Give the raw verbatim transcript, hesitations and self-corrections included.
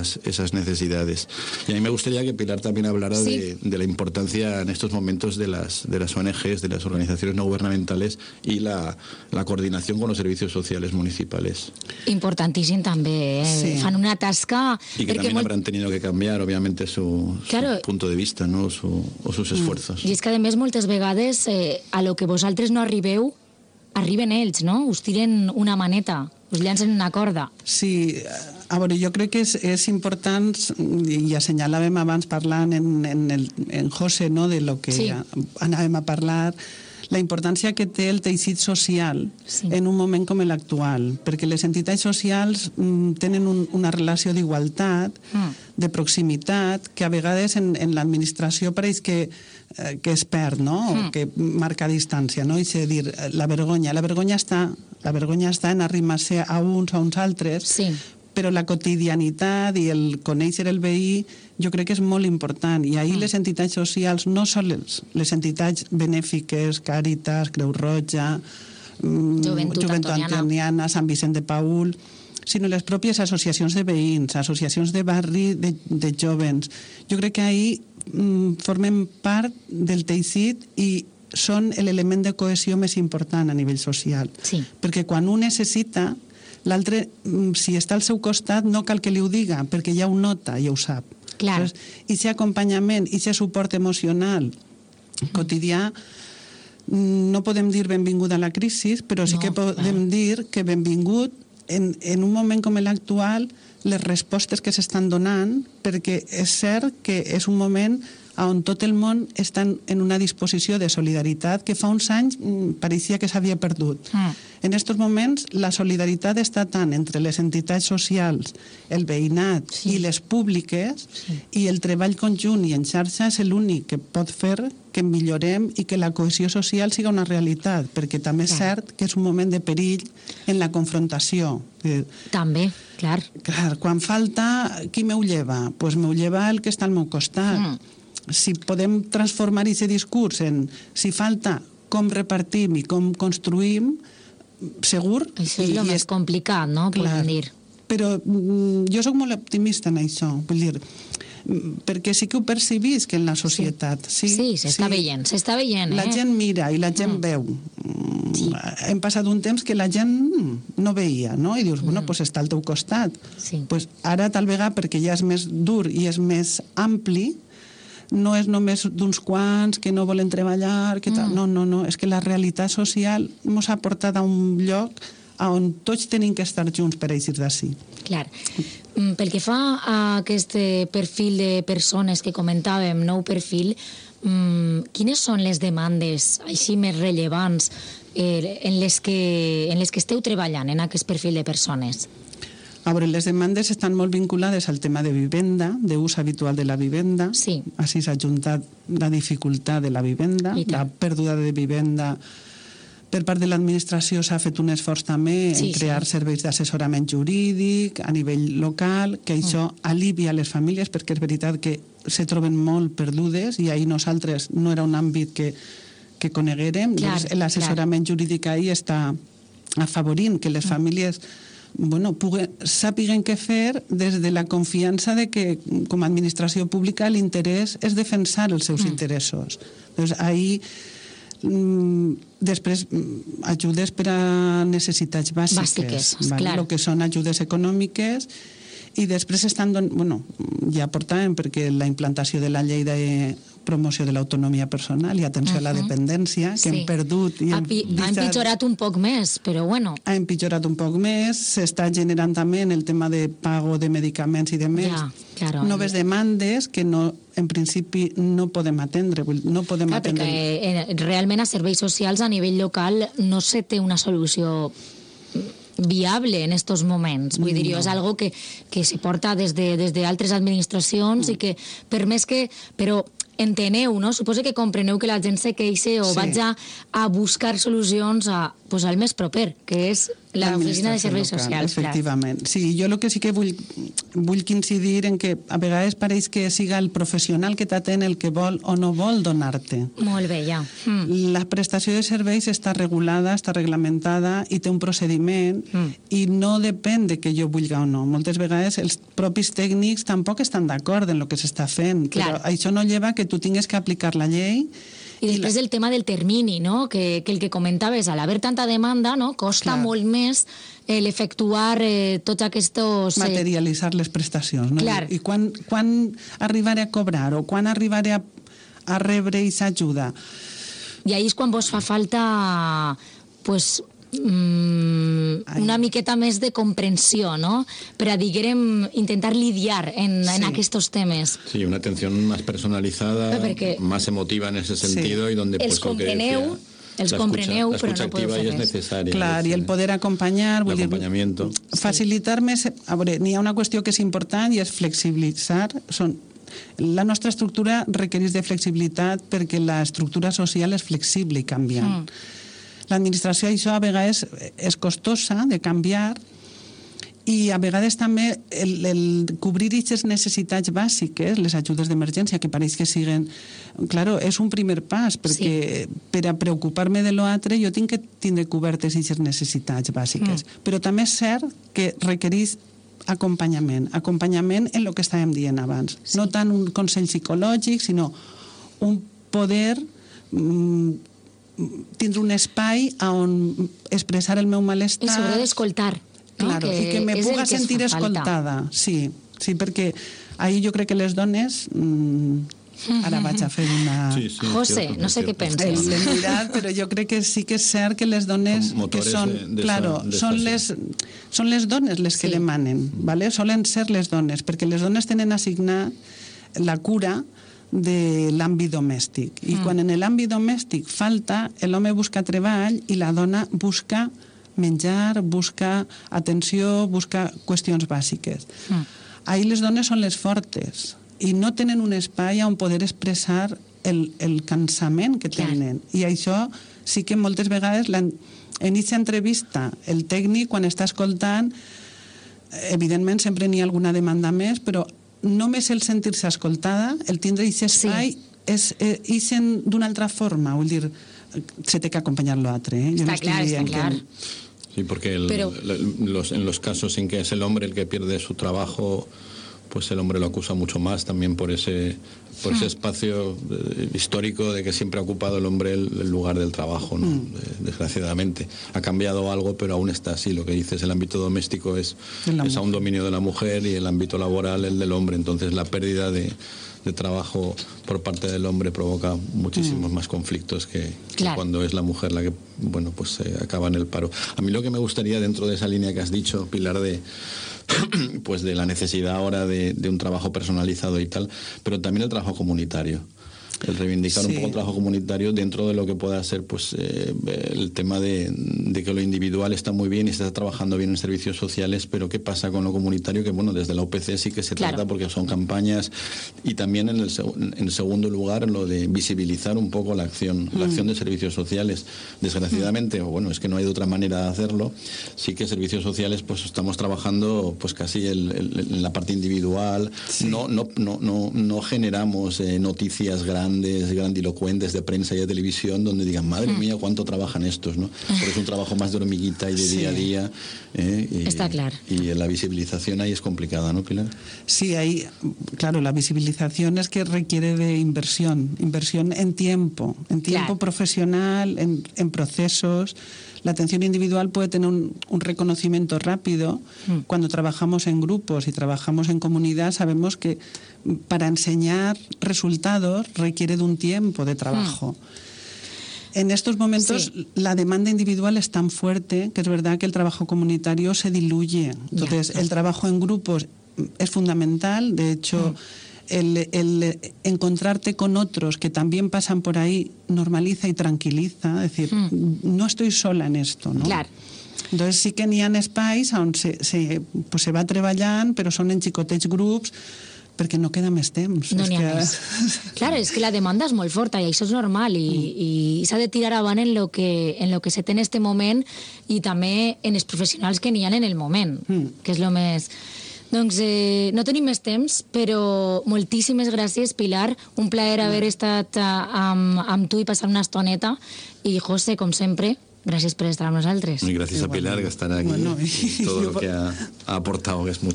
esas, esas necesidades. Y a mí me gustaría que Pilar también hablara sí. de, de la importancia en estos momentos de las, de las O N Ges, de las organizaciones no gubernamentales y la, la coordinación con los servicios sociales municipales. Importantíssim també, eh? Sí. Fan una tasca... Y que también molt... habrán tenido que cambiar, obviamente, su, claro. su punto de vista, ¿no? Su, o sus esfuerzos. I és que, a més, moltes vegades eh, a lo que vosaltres no arribeu, arriben ells, no? Us tiren una maneta, us llancen una corda. Sí, a veure, jo crec que és, és important, i assenyalàvem abans parlant en, en, el, en José, no?, de lo que sí. anàvem a parlar, la importància que té el teixit social sí. en un moment com l'actual, perquè les entitats socials mm, tenen un, una relació d'igualtat, mm. de proximitat, que a vegades en, en l'administració pareix que, eh, que es perd, no? Mm. O que marca distància, no? I és a dir, la vergonya. La vergonya està, la vergonya està en arrimar-se a uns o a uns altres, sí. però la quotidianitat i el conèixer el veí jo crec que és molt important. I ahir mm. les entitats socials, no sols les entitats benèfiques, Càritas, Creu Roja, Joventut, Joventut Antoniana, Sant Vicent de Paül, sinó les pròpies associacions de veïns, associacions de barri, de, de jovens. Jo crec que ahir mm, formem part del teixit i són l'element de cohesió més important a nivell social. Sí. Perquè quan un necessita, l'altre, si està al seu costat, no cal que li ho diga, perquè ja ho nota i ho sap. Clar. I aquest acompanyament, i aquest suport emocional quotidià, no podem dir benvingut a la crisi, però sí no, que podem clar. dir que benvingut en, en un moment com l'actual les respostes que s'estan donant, perquè és cert que és un moment on tot el món està en una disposició de solidaritat que fa uns anys pareixia que s'havia perdut. Mm. En aquests moments la solidaritat està tant entre les entitats socials, el veïnat sí. i les públiques, sí. i el treball conjunt i en xarxa és l'únic que pot fer que millorem i que la cohesió social siga una realitat, perquè també és cert que és un moment de perill en la confrontació. També, clar. Clar, quan falta, qui m'ho lleva? Doncs pues m'ho lleva el que està al meu costat. Mm. Si podem transformar aquest discurs en si falta com repartim i com construïm, segur... Això és el més complicat, no? Podem dir. Però jo soc molt optimista en això, vull dir, perquè sí que ho percebis que en la societat... Sí, sí s'està sí, veient, s'està veient. La eh? gent mira i la gent mm. veu. Sí. Hem passat un temps que la gent no veia, no? I dius, mm. bueno, doncs està al teu costat. Sí. Pues ara, tal vegada, perquè ja és més dur i és més ampli, no és només d'uns quants que no volen treballar, que tal. Mm. no, no, no, és que la realitat social ens ha portat a un lloc on tots tenim que estar junts per eixir d'ací. Clar. Pel que fa a aquest perfil de persones que comentàvem, nou perfil, quines són les demandes així més rellevants en les que, en les que esteu treballant en aquest perfil de persones? A veure, les demandes estan molt vinculades al tema de vivenda, d'ús habitual de la vivenda. Sí. Així s'ha juntat la dificultat de la vivenda, la pèrdua de vivenda. Per part de l'administració s'ha fet un esforç també sí, en crear sí. serveis d'assessorament jurídic a nivell local, que això mm. alivia les famílies, perquè és veritat que se troben molt perdudes i ahir nosaltres no era un àmbit que, que coneguérem. L'assessorament jurídic ahir està afavorint que les famílies bueno, puguen, sàpiguen què fer des de la confiança de que com a administració pública l'interès és defensar els seus mm. interessos. Doncs ahir mm, després ajudes per a necessitats bàsiques, bàsiques vale? Clar. El que són ajudes econòmiques, i després estan don... bueno, ja portàvem perquè la implantació de la llei de promoció de l'autonomia personal i atenció uh -huh. a la dependència, que sí. hem perdut i hem ha, pi... ha empitjorat un poc més, però bueno. Ha empitjorat un poc més, s'està generant també en el tema de pago de medicaments i de més ja, claro. noves demandes que no, en principi no podem atendre. No podem clar, atendre. Perquè eh, realment a serveis socials a nivell local no se té una solució viable en estos moments. Vull dir, no. és algo que, que se porta des de, des d'altres administracions mm. i que, per més que... Però enteneu, no? Suposo que compreneu que la gent se queixa o sí. vaig a, a buscar solucions a, pues, al més proper, que és L'oficina de serveis socials, clar. Efectivament. Sí, jo el que sí que vull, vull incidir en que a vegades pareix que siga el professional que t'atén el que vol o no vol donar-te. Molt bé, ja. Mm. La prestació de serveis està regulada, està reglamentada i té un procediment mm. i no depèn de que jo vulgui o no. Moltes vegades els propis tècnics tampoc estan d'acord en el que s'està fent, clar. Però això no lleva que tu tingues que aplicar la llei. I després el tema del termini, no? que, que el que comentaves, al haver tanta demanda, no? costa clar. molt més eh, l'efectuar eh, tots aquests... Eh... Materialitzar les prestacions. No? Clar. I quan, quan arribaré a cobrar o quan arribaré a, a rebre aquesta ajuda? I ahí és quan vos fa falta pues, mm, una miqueta més de comprensió, ¿no? Per a, diguem, intentar lidiar en, sí. en aquests temes. Sí, una atención más personalizada, Perquè más emotiva en ese sentido sí. y donde els pues lo que compreneu, decía, els la compreneu, escucha, però no podeu fer res. res. Es necesaria. Clar, i el poder acompanyar, vull dir, facilitar més... A veure, n'hi ha una qüestió que és important i és flexibilitzar. Són, la nostra estructura requereix de flexibilitat perquè l'estructura social és flexible i canviant. Mm. L'administració, això a vegades és costosa de canviar i a vegades també el, el cobrir aquestes necessitats bàsiques, les ajudes d'emergència, que pareix que siguen... Claro, és un primer pas, perquè sí. per a preocupar-me de l'altre jo tinc que tindre cobertes aquestes necessitats bàsiques. Mm. Però també és cert que requereix acompanyament. Acompanyament en el que estàvem dient abans. Sí. No tant un consell psicològic, sinó un poder... Mm, tindre un espai on expressar el meu malestar. I sobretot escoltar. No? Claro, que i que me puga que sentir escoltada. Sí, sí, perquè ahir jo crec que les dones... Mmm, ara vaig a fer una... Sí, sí, José, no sé què penses. L'he mirat, però jo crec que sí que és cert que les dones que són... De, de claro, esa, de són, les, són les dones les que sí. demanen, ¿vale? Solen ser les dones, perquè les dones tenen assignat la cura de l'àmbit domèstic. I mm. quan en l'àmbit domèstic falta, l'home busca treball i la dona busca menjar, busca atenció, busca qüestions bàsiques. Mm. Ahir les dones són les fortes i no tenen un espai on poder expressar el, el cansament que tenen. Clar. I això sí que moltes vegades, en aquesta entrevista, el tècnic, quan està escoltant, evidentment sempre n'hi ha alguna demanda més, però només el sentir-se escoltada, el tindre aquest espai, sí. és, és d'una altra forma, vull dir, se té que acompanyar l'altre. ¿eh? Está no claro, está claro. Que... Sí, porque el, Pero... los, en los casos en que es el hombre el que pierde su trabajo, pues el hombre lo acusa mucho más también por ese, por ese espacio histórico de que siempre ha ocupado el hombre el, el lugar del trabajo, ¿no? Mm. Desgraciadamente. Ha cambiado algo, pero aún está así. Lo que dices, el ámbito doméstico es, es a un dominio de la mujer y el ámbito laboral el del hombre. Entonces la pérdida de, de trabajo por parte del hombre provoca muchísimos mm. más conflictos que, claro. que cuando es la mujer la que, bueno, pues eh, acaba en el paro. A mí lo que me gustaría, dentro de esa línea que has dicho, Pilar, de pues de la necesidad ahora de, de un trabajo personalizado y tal, pero también el trabajo comunitario. El reivindicar sí. un poco el trabajo comunitario dentro de lo que pueda ser pues eh, el tema de, de que lo individual está muy bien y está trabajando bien en servicios sociales, pero ¿qué pasa con lo comunitario? Que bueno, desde la U P C sí que se claro. trata porque son campañas y también en el, en segundo lugar lo de visibilizar un poco la acción, mm. la acción de servicios sociales. Desgraciadamente, mm. bueno, es que no hay de otra manera de hacerlo, sí que servicios sociales pues estamos trabajando pues casi el, el, en la parte individual, sí. no, no, no, no, no generamos eh, noticias grandes grandilocuentes de prensa y de televisión donde digan, madre mm. mía, cuánto trabajan estos, ¿no? Porque es un trabajo más de hormiguita y de sí. día a día. ¿eh? Y, Está claro. Y la visibilización ahí es complicada, ¿no, Pilar? Sí, ahí, claro, la visibilización es que requiere de inversión, inversión en tiempo, en tiempo claro. profesional, en, en procesos. La atención individual puede tener un, un reconocimiento rápido. Mm. Cuando trabajamos en grupos y trabajamos en comunidad, sabemos que para enseñar resultados requiere de un tiempo de trabajo. Mm. En estos momentos sí. la demanda individual es tan fuerte que es verdad que el trabajo comunitario se diluye. Entonces, yeah. el trabajo en grupos es fundamental. De hecho, mm. El, el encontrarte con otros que también pasan por ahí normaliza y tranquiliza, es decir, mm. no estoy sola en esto, ¿no? Claro. Entonces sí que n'hi ha espais on se, se, pues se va treballant, però són en xicotets grups perquè no queda més temps. No és n'hi ha que... més. Clar, és que la demanda és molt forta i això és normal i, mm. i s'ha de tirar avant en lo que, en lo que se té en este moment i també en els professionals que n'hi ha en el moment, mm. que és lo més... Doncs eh, no tenim més temps, però moltíssimes gràcies, Pilar. Un plaer haver estat uh, amb, amb tu i passar una estoneta. I José, com sempre, gràcies per estar amb nosaltres. Y gracias a Pilar, que están aquí. Bueno, y todo lo que ha, ha aportado, que es mucho.